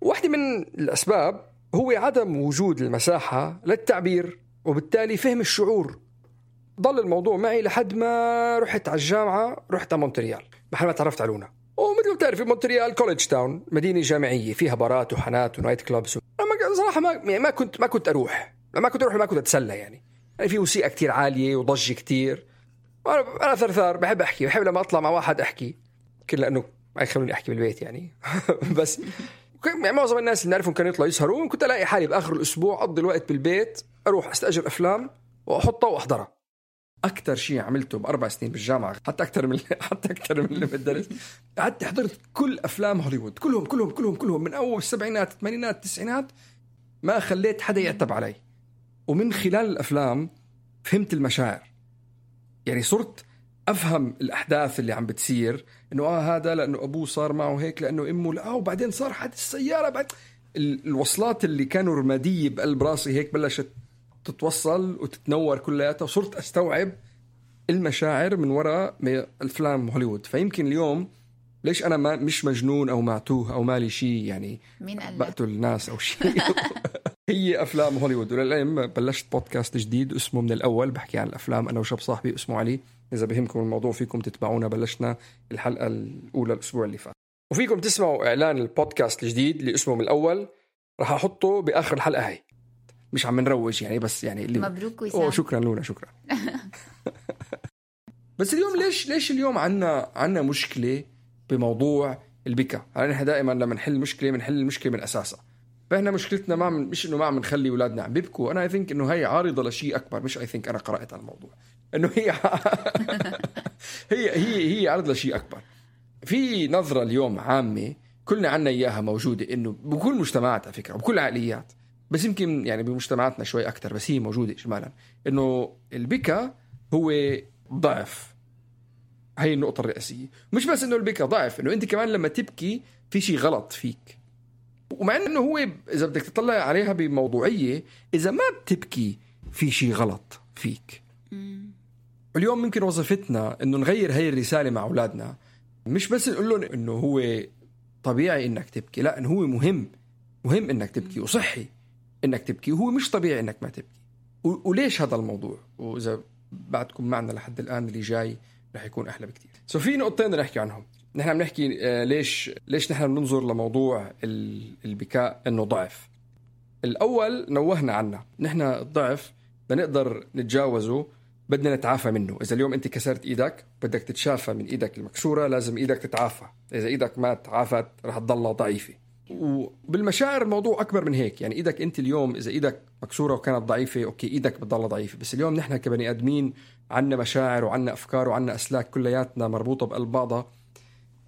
واحدة من الأسباب هو عدم وجود المساحة للتعبير وبالتالي فهم الشعور. ضل الموضوع معي لحد ما رحت على الجامعة، رحت على مونتريال محل ما تعرفت على لونا. ومثل ما بتعرفي مونتريال كوليدج تاون، مدينة جامعية فيها بارات وحانات ونايت كلابس. أنا صراحة ما كنت أروح، ما كنت أتسلى يعني في موسيقى كتير عالية وضجة كتير. أنا ثرثار بحب أحكي، بحب لما أطلع مع واحد أحكي، كل لأنه ما يخلوني أحكي بالبيت يعني بس يعني معظم الناس اللي نعرفهم كانوا يطلعوا يسهروا، كنت ألاقي حالي بآخر الأسبوع أقضي الوقت بالبيت، أروح أستأجر أفلام وأحطها وأحضرها. أكتر شيء عملته ب4 سنين بالجامعة، حتى أكتر من اللي بالدرس، قعدت حضرت كل أفلام هوليوود كلهم من أول السبعينات الثمانينات التسعينات. ما خليت حدا يعتب علي. ومن خلال الأفلام فهمت المشاعر، يعني صرت أفهم الأحداث اللي عم بتصير، إنه هذا لأنه أبوه صار معه هيك، لأنه أمه لا، وبعدين صار حادث السيارة. بعد الوصلات اللي كانوا رمادية بقلب راسي هيك بلشت تتوصل وتتنور كلياتها، وصرت أستوعب المشاعر من وراء الأفلام هوليوود. فيمكن اليوم ليش أنا مش مجنون أو معتوه أو مالي شيء، يعني بقتل الناس أو شيء هي أفلام هوليوود. وللعلم بلشت بودكاست جديد اسمه من الأول، بحكي عن الأفلام أنا وشاب صاحبي اسمه علي. إذا بهمكم الموضوع فيكم تتبعونا، بلشنا الحلقة الأولى الأسبوع اللي فات، وفيكم تسمعوا إعلان البودكاست الجديد اللي اسمه من الأول، راح أحطه بآخر الحلقة هاي. مش عم نروج يعني، بس يعني اللي مبروك وسام. شكرا لونا، شكرا. بس اليوم ليش اليوم عنا مشكلة بموضوع البكا؟ يعني نحن دائما لما نحل مشكلة بنحل المشكلة من أساسها. فإحنا مشكلتنا مش إنه ما عم نخلي أولادنا عم بيبكوا. أنا think إنه هي عارضة لشيء أكبر. مش أنا قرأت على الموضوع إنه هي عارضة لشيء أكبر. في نظرة اليوم عامة كلنا عنا إياها موجودة، إنه بكل مجتمعات على فكرة وبكل عقليات، بس يمكن يعني بمجتمعاتنا شوي أكتر، بس هي موجودة إجمالا، إنه البكا هو ضعف. هاي النقطة الرئيسية. مش بس إنه البكا ضعف، إنه أنت كمان لما تبكي في شيء غلط فيك. ومع إنه هو إذا بدك تطلع عليها بموضوعية، إذا ما بتبكي في شيء غلط فيك. اليوم ممكن وظيفتنا إنه نغير هاي الرسالة مع أولادنا. مش بس نقول لهم إنه هو طبيعي إنك تبكي، لا، إنه هو مهم إنك تبكي، وصحي إنك تبكي، وهو مش طبيعي إنك ما تبكي. وليش هذا الموضوع؟ وإذا بعدكم معنا لحد الآن اللي جاي رح يكون أحلى بكتير. في نقطتين نحكي عنهم. نحن بنحكي ليش نحن بننظر لموضوع البكاء إنه ضعف. الأول نوهنا عنه، نحن الضعف بنقدر نتجاوزه، بدنا نتعافى منه. إذا اليوم أنت كسرت إيدك بدك تتشافى من إيدك المكسورة، لازم إيدك تتعافى. إذا إيدك ما تعافت رح تضلها ضعيفة. وبالمشاعر الموضوع أكبر من هيك. يعني إيدك أنت اليوم إذا إيدك مكسورة وكانت ضعيفة، أوكي إيدك بتضلها ضعيفة، بس اليوم نحن كبني آدمين عنا مشاعر وعنا أفكار وعنا أسلاك كلياتنا مربوطة بقلب بعضها.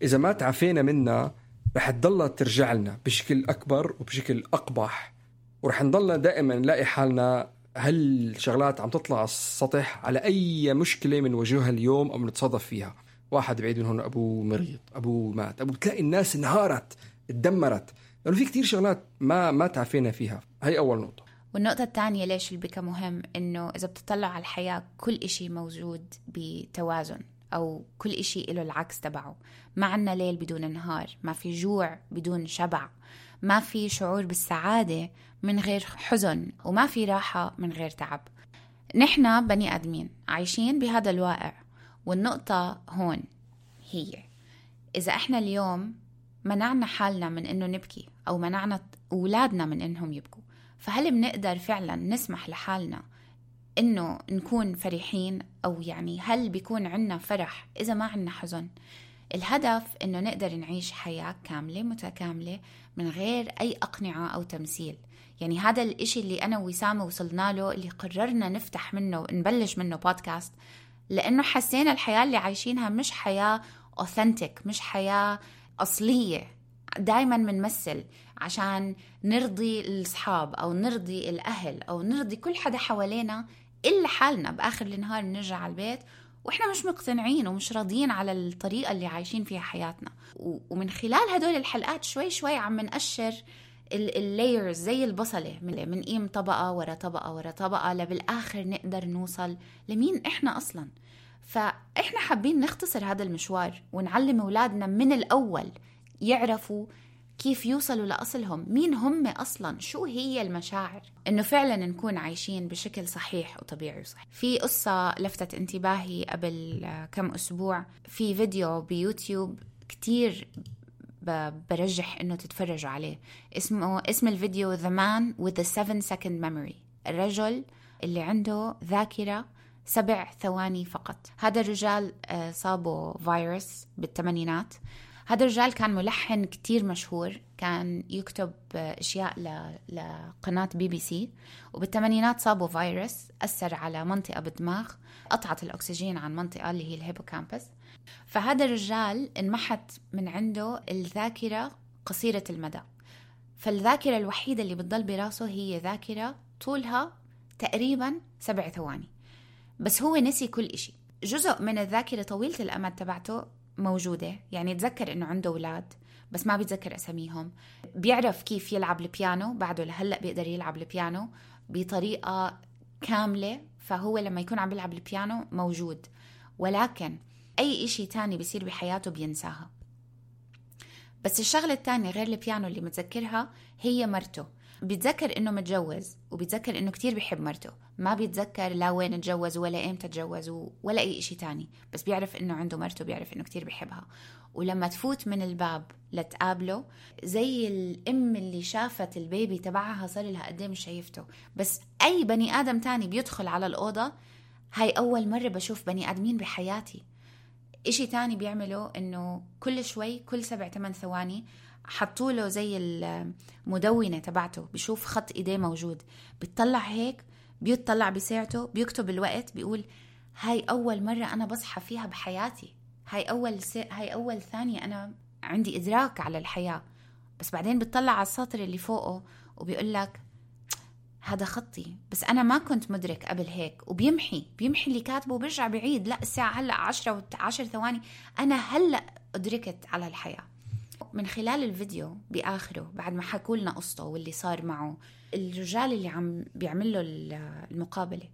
إذا ما تعافينا منها رح تضلها ترجع لنا بشكل أكبر وبشكل أقبح، ورح نضلنا دائما نلاقي حالنا هالشغلات عم تطلع على السطح على أي مشكلة من وجهها اليوم أو نتصادف فيها. واحد بعيد من هون أبوه مريض، أبوه مات، بتلاقي الناس انهارت، اتدمرت، لأنه في كتير شغلات ما تعافينا فيها. هاي أول نقطة. والنقطة الثانية ليش البكا مهم، إنه إذا بتطلع على الحياة كل إشي موجود بتوازن، أو كل إشي له العكس تبعه. ما عنا ليل بدون نهار، ما في جوع بدون شبع، ما في شعور بالسعادة من غير حزن، وما في راحة من غير تعب. نحن بني آدمين عايشين بهذا الواقع. والنقطة هون هي إذا إحنا اليوم منعنا حالنا من إنه نبكي، أو منعنا أولادنا من إنهم يبكوا، فهل بنقدر فعلا نسمح لحالنا إنه نكون فرحين؟ أو يعني هل بيكون عنا فرح إذا ما عنا حزن؟ الهدف إنه نقدر نعيش حياة كاملة متكاملة من غير أي أقنعة أو تمثيل. يعني هذا الإشي اللي أنا وسامة وصلنا له، اللي قررنا نفتح منه ونبلش منه بودكاست، لأنه حسينا الحياة اللي عايشينها مش حياة أوثنتيك، مش حياة أصلية. دايما منمثل عشان نرضي الأصحاب أو نرضي الأهل أو نرضي كل حدا حوالينا، إلا حالنا بآخر النهار نرجع على البيت وإحنا مش مقتنعين ومش راضيين على الطريقة اللي عايشين فيها حياتنا. ومن خلال هدول الحلقات شوي شوي عم نقشر اللايرز زي البصلة، من قيم طبقة ورا طبقة ورا طبقة، لبالآخر نقدر نوصل لمين إحنا أصلاً. فإحنا حابين نختصر هذا المشوار ونعلم أولادنا من الأول يعرفوا كيف يوصلوا لأصلهم، مين هم أصلاً، شو هي المشاعر، إنه فعلاً نكون عايشين بشكل صحيح وطبيعي وصحيح. في قصة لفتت انتباهي قبل كم أسبوع، في فيديو بيوتيوب كتير برجح إنه تتفرجوا عليه. اسم الفيديو The Man with the 7-second memory، الرجل اللي عنده ذاكرة 7 ثواني فقط. هذا الرجال صابه فيروس بالثمانينات. هذا الرجال كان ملحن كتير مشهور، كان يكتب أشياء لقناة BBC، وبالثمانينات صابه فيروس أثر على منطقة بالدماغ، قطعت الأكسجين عن منطقة اللي هي الهيبوكامبس. فهذا الرجال انمحت من عنده الذاكرة قصيرة المدى. فالذاكرة الوحيدة اللي بتضل براسه هي ذاكرة طولها تقريبا 7 ثواني، بس هو نسي كل إشي. جزء من الذاكرة طويلة الأمد تبعته موجودة، يعني يتذكر إنه عنده أولاد بس ما بيتذكر أساميهم، بيعرف كيف يلعب البيانو، بعده لهلأ بيقدر يلعب البيانو بطريقة كاملة، فهو لما يكون عم يلعب البيانو موجود، ولكن أي إشي تاني بيصير بحياته بينساها. بس الشغلة التانية غير البيانو اللي متذكرها هي مرته. بيتذكر إنه متجوز، وبيتذكر إنه كتير بيحب مرته، ما بيتذكر لا وين اتجوز ولا إمتى اتجوز ولا أي إشي تاني، بس بيعرف إنه عنده مرته، بيعرف إنه كتير بيحبها. ولما تفوت من الباب لتقابله زي الأم اللي شافت البيبي تبعها صار لها قدام مش شايفته. بس أي بني آدم تاني بيدخل على الأوضة، هاي أول مرة بشوف بني آدمين بحياتي. إشي تاني بيعمله إنه كل شوي كل 7-8 ثواني حطوله زي المدونة تبعته، بيشوف خط إيديه موجود، بيطلع هيك، بيطلع بساعته، بيكتب الوقت، بيقول هاي أول مرة أنا بصحى فيها بحياتي، هاي أول ثانية أنا عندي إدراك على الحياة. بس بعدين بيطلع على السطر اللي فوقه وبيقول لك هذا خطي، بس أنا ما كنت مدرك قبل هيك، وبيمحي اللي كاتبه وبيرجع بعيد، لا الساعة هلأ 10 ثواني أنا هلأ أدركت على الحياة. من خلال الفيديو بآخره بعد ما حكوا لنا قصته واللي صار معه، الرجال اللي عم بيعمل له المقابلة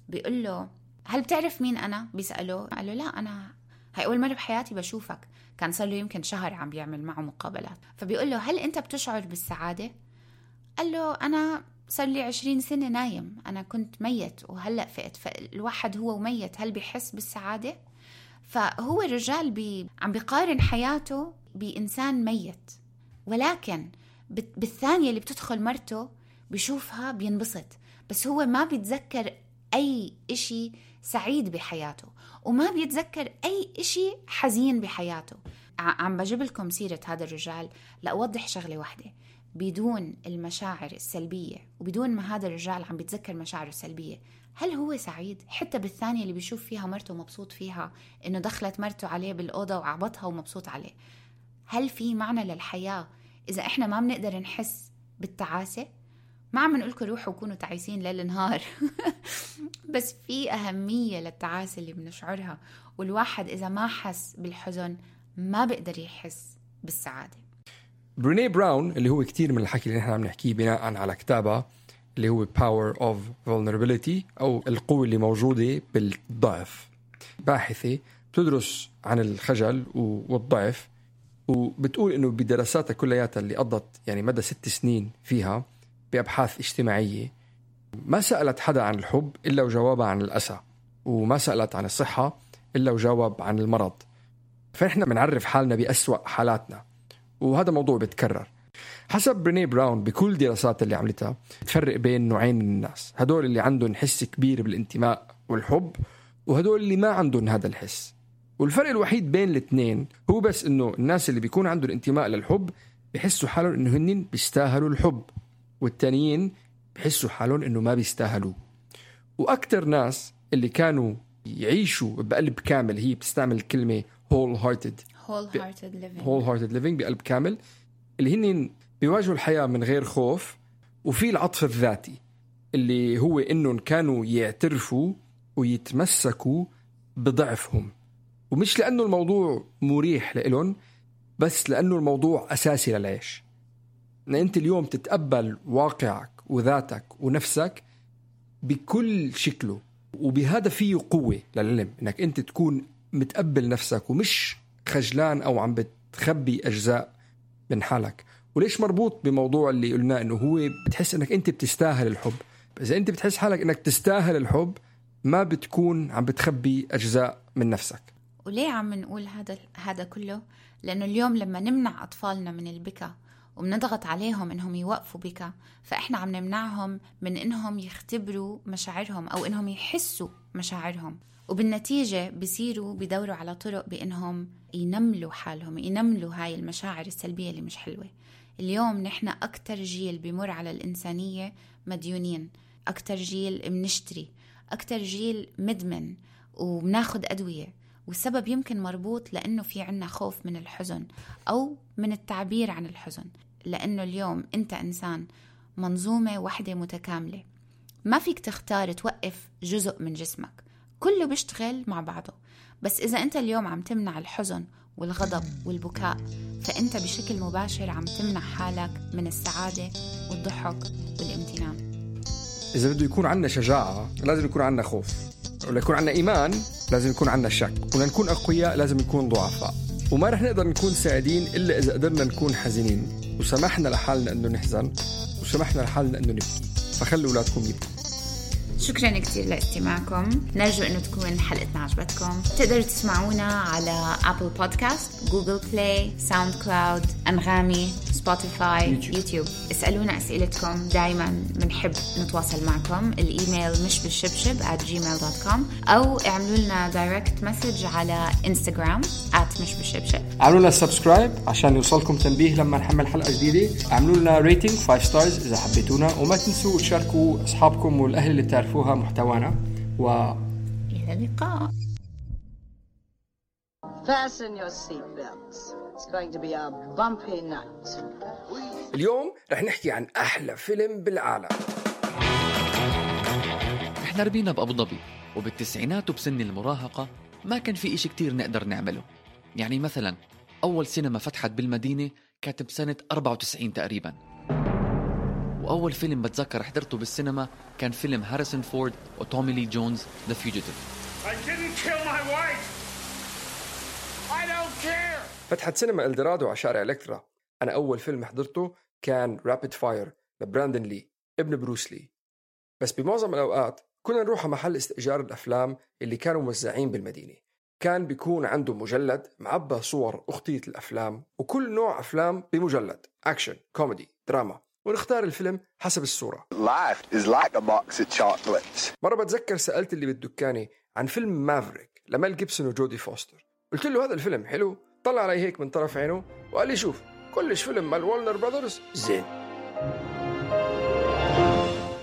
بيقول له هل بتعرف مين أنا؟ بيسأله، قال له لا أنا هاي أول مرة بحياتي بشوفك. كان صار له يمكن شهر عم بيعمل معه مقابلات. فبيقول له هل أنت بتشعر بالسعادة؟ قال له أنا صار لي 20 سنة نايم، أنا كنت ميت وهلأ فقت، فالواحد هو وميت هل بيحس بالسعادة؟ فهو الرجال عم بيقارن حياته بإنسان ميت، ولكن بالثانية اللي بتدخل مرته بيشوفها بينبسط، بس هو ما بيتذكر أي إشي سعيد بحياته، وما بيتذكر أي إشي حزين بحياته. عم بجيب لكم سيرة هذا الرجال لأوضح شغلة واحدة، بدون المشاعر السلبية وبدون ما هذا الرجال عم بيتذكر مشاعره السلبية، هل هو سعيد؟ حتى بالثانية اللي بيشوف فيها مرته مبسوط فيها، إنه دخلت مرته عليه بالأوضة وعبطها ومبسوط عليه. هل في معنى للحياة إذا إحنا ما بنقدر نحس بالتعاسة؟ ما عم نقولكم روحوا وكونوا تعيسين ليل نهار بس في أهمية للتعاسة اللي بنشعرها، والواحد إذا ما حس بالحزن ما بقدر يحس بالسعادة. بريني براون اللي هو كتير من الحكي اللي نحن عم نحكيه بناء على كتابها اللي هو Power of Vulnerability أو القوة اللي موجودة بالضعف، باحثة بتدرس عن الخجل والضعف، وبتقول إنه بدراساتها كلياتها اللي قضت يعني مدى 6 سنين فيها بأبحاث اجتماعية، ما سألت حدا عن الحب إلا وجوابها عن الأسى، وما سألت عن الصحة إلا وجاوب عن المرض. فنحن بنعرف حالنا بأسوأ حالاتنا، وهذا موضوع بتكرر. حسب بريني براون بكل دراسات اللي عملتها تفرق بين نوعين من الناس، هدول اللي عندهم حس كبير بالانتماء والحب، وهدول اللي ما عندهم هذا الحس. والفرق الوحيد بين الاثنين هو بس انه الناس اللي بيكون عندهم انتماء للحب بيحسوا حالهم انه هنين بيستاهلوا الحب، والتانيين بيحسوا حالهم انه ما بيستاهلوا. واكتر ناس اللي كانوا يعيشوا بقلب كامل، هي بتستعمل الكلمة wholehearted living، بقلب كامل، اللي هن بيواجهوا الحياة من غير خوف. وفي العطف الذاتي اللي هو إنهم كانوا يعترفوا ويتمسكوا بضعفهم، ومش لأنه الموضوع مريح لإلهم، بس لأنه الموضوع أساسي للعيش. إن أنت اليوم تتقبل واقعك وذاتك ونفسك بكل شكله، وبهذا فيه قوة للعلم، إنك أنت تكون متقبل نفسك ومش خجلان أو عم بتخبي أجزاء من حالك. وليش مربوط بموضوع اللي قلنا إنه هو بتحس إنك أنت بتستاهل الحب. إذا أنت بتحس حالك إنك تستاهل الحب ما بتكون عم بتخبي أجزاء من نفسك. وليه عم نقول هذا كله؟ لأنه اليوم لما نمنع أطفالنا من البكاء وبنضغط عليهم إنهم يوقفوا بكاء، فإحنا عم نمنعهم من إنهم يختبروا مشاعرهم أو إنهم يحسوا مشاعرهم، وبالنتيجة بيصيروا بدوروا على طرق بإنهم ينملوا حالهم، ينملوا هاي المشاعر السلبية اللي مش حلوة. اليوم نحن أكتر جيل بيمر على الإنسانية مديونين، أكتر جيل بنشتري، أكتر جيل مدمن وبناخد أدوية، والسبب يمكن مربوط لأنه في عنا خوف من الحزن أو من التعبير عن الحزن. لأنه اليوم أنت إنسان منظومة واحدة متكاملة، ما فيك تختار توقف جزء من جسمك، كله بيشتغل مع بعضه. بس إذا أنت اليوم عم تمنع الحزن والغضب والبكاء، فأنت بشكل مباشر عم تمنع حالك من السعادة والضحك والامتنان. إذا بده يكون عنا شجاعة لازم يكون عنا خوف، ولا يكون عنا إيمان لازم يكون عنا شك، ولنكون أقوياء لازم نكون ضعفاء. وما رح نقدر نكون سعيدين إلا إذا قدرنا نكون حزينين، وسمحنا لحالنا أنه نحزن، وسمحنا لحالنا أنه نبكي. فخلوا أولادكم يبكوا. شكرا كتير لاستماعكم، نرجو أنه تكون حلقتنا عجبتكم. تقدروا تسمعونا على أبل بودكاست، جوجل بلاي، ساوند كلاود، أنغامي، سبوتيفاي، يوتيوب. اسألونا أسئلتكم، دايما منحب نتواصل معكم. الإيميل mishbishibshib@gmail.com، أو اعملوا لنا دايركت مسج على إنستغرام @mishbishibshib. اعملوا لنا سبسكرايب عشان يوصلكم تنبيه لما نحمل حلقة جديدة. اعملوا لنا ريتنج 5 ستارز إذا حبيتونا، وما تنسوا تشاركوا أصحابكم والأهل اللي بتعرفوها محتوانا. إلى اللقاء. Fasten your seatbelts. It's going to be a bumpy night. اليوم رح نحكي عن أحلى فيلم بالعالم. احنا ربينا بأبو ظبي، وبالتسعينات وبسن المراهقة ما كان في إشي كتير نقدر نعمله. يعني مثلا أول سينما فتحت بالمدينة كانت بسنة 94 تقريبا، وأول فيلم بتذكر حضرته بالسينما كان فيلم هاريسون فورد وتومي لي جونز The Fugitive. I didn't kill my wife. I don't care. فتحت سينما إلدرادو على شارع إلكترا. أنا أول فيلم حضرته كان رابيد فاير لبراندن لي ابن بروس لي. بس بمعظم الأوقات كنا نروح على محل استئجار الأفلام اللي كانوا موزعين بالمدينة. كان بيكون عنده مجلد معبى صور أخطية الأفلام، وكل نوع أفلام بمجلد، أكشن، كوميدي، دراما، ونختار الفيلم حسب الصورة. Life is like a box of chocolates. مرة بتذكر سألت اللي بالدكانة عن فيلم مافريك لميل جيبسون وجودي فوستر. قلت له هذا الفيلم حلو؟ طلع علي هيك من طرف عينه وقال لي شوف كلش فيلم مال وولنر براذرز زين.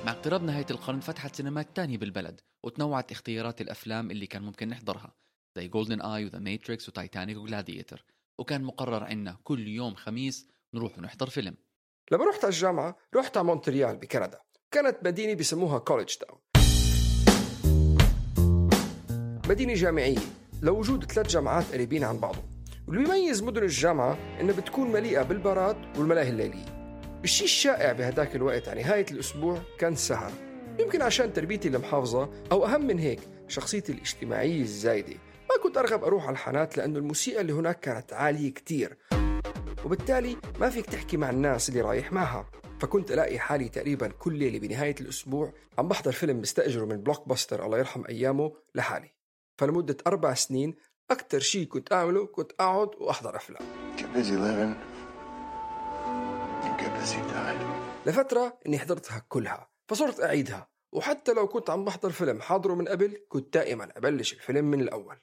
مع اقتراب نهاية القرن فتحت سينمات تانية بالبلد، وتنوعت اختيارات الأفلام اللي كان ممكن نحضرها، زي جولدن آي وذا ماتريكس وتايتانيك وغلاديتر. وكان مقرر عنا كل يوم خميس نروح ونحضر فيلم. لما رحت على الجامعة رحت على مونتريال بكندا، كانت مدينة بيسموها كوليدج تاون، مدينة جامعية لوجود 3 جامعات قريبين عن بعضهم. واللي بيميز مدن الجامعة إنها بتكون مليئة بالبارات والملاهي الليلية. الشيء الشائع بهداك الوقت على نهاية الأسبوع كان سهر، يمكن عشان تربيتي المحافظة أو أهم من هيك شخصيتي الاجتماعية الزايدة. ما كنت أرغب أروح على الحانات لأنه الموسيقى اللي هناك كانت عالية كتير، وبالتالي ما فيك تحكي مع الناس اللي رايح معها. فكنت ألاقي حالي تقريبا كل ليلة بنهاية الأسبوع عم بحضر فيلم مستأجره من بلوك باستر الله يرحم أيامه لحالي. فلمدة 4 سنين أكتر شيء كنت أعمله كنت أقعد وأحضر أفلام. لفترة إني حضرتها كلها فصرت أعيدها، وحتى لو كنت عم بحضر فيلم حاضره من قبل كنت دائما أبلش الفيلم من الأول.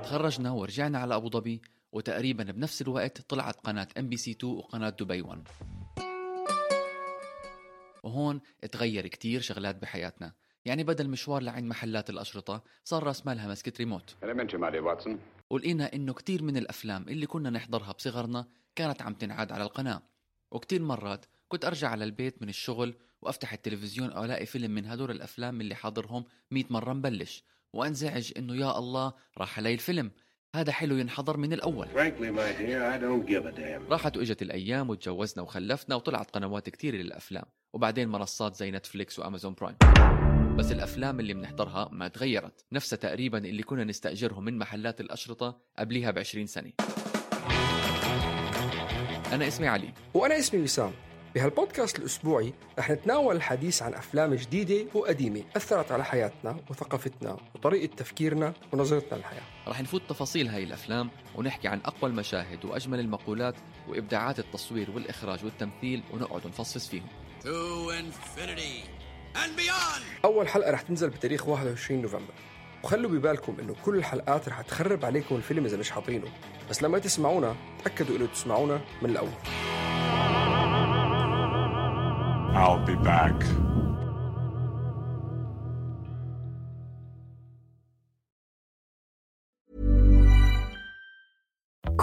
تخرجنا ورجعنا على أبو ظبي، وتقريبا بنفس الوقت طلعت قناة MBC2 وقناة دبي 1. وهون اتغير كتير شغلات بحياتنا. يعني بدل مشوار لعند محلات الأشرطة صار راس مالها مسكت ريموت. ولقينا إنه كتير من الأفلام اللي كنا نحضرها بصغرنا كانت عم تنعاد على القناة. وكتير مرات كنت أرجع على البيت من الشغل وأفتح التلفزيون أو ألاقي فيلم من هدول الأفلام اللي حاضرهم 100 مرة مبلش، وأنزعج إنه يا الله راح علي الفيلم هذا حلو ينحضر من الأول. راحت وإجت الأيام وتجوزنا وخلفنا وطلعت قنوات كتير للأفلام، وبعدين منصات زي نتفليكس وأمازون برايم. بس الأفلام اللي بنحضرها ما تغيرت، نفسها تقريبا اللي كنا نستأجرهم من محلات الأشرطة قبليها ب20 سنة. أنا اسمي علي. وأنا اسمي وسام. بهالبودكاست الأسبوعي رح نتناول الحديث عن أفلام جديدة وقديمة أثرت على حياتنا وثقافتنا وطريقة تفكيرنا ونظرتنا للحياة. رح نفوت تفاصيل هاي الأفلام ونحكي عن أقوى المشاهد وأجمل المقولات وإبداعات التصوير والإخراج والتمثيل، ونقعد نفصص فيهم. To infinity and beyond. أول حلقة رح تنزل بتاريخ 21 نوفمبر، وخلوا ببالكم إنه كل الحلقات رح تخرب عليكم الفيلم إذا مش حاطينه، بس لما تسمعونا تأكدوا إنه تسمعونا من الأول. I'll be back.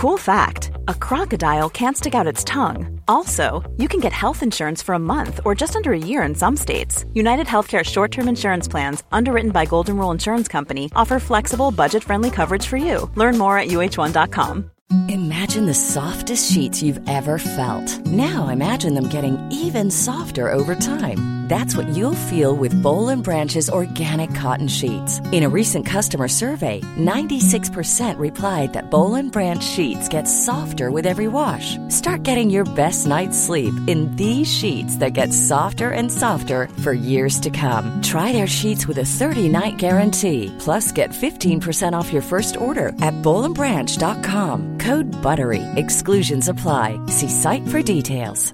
Cool fact, a crocodile can't stick out its tongue. Also, you can get health insurance for a month or just under a year in some states. United Healthcare short-term insurance plans, underwritten by Golden Rule Insurance Company, offer flexible, budget-friendly coverage for you. Learn more at uh1.com. Imagine the softest sheets you've ever felt. Now imagine them getting even softer over time. That's what you'll feel with Boll & Branch's organic cotton sheets. In a recent customer survey, 96% replied that Boll & Branch sheets get softer with every wash. Start getting your best night's sleep in these sheets that get softer and softer for years to come. Try their sheets with a 30-night guarantee. Plus, get 15% off your first order at bollandbranch.com. Code BUTTERY. Exclusions apply. See site for details.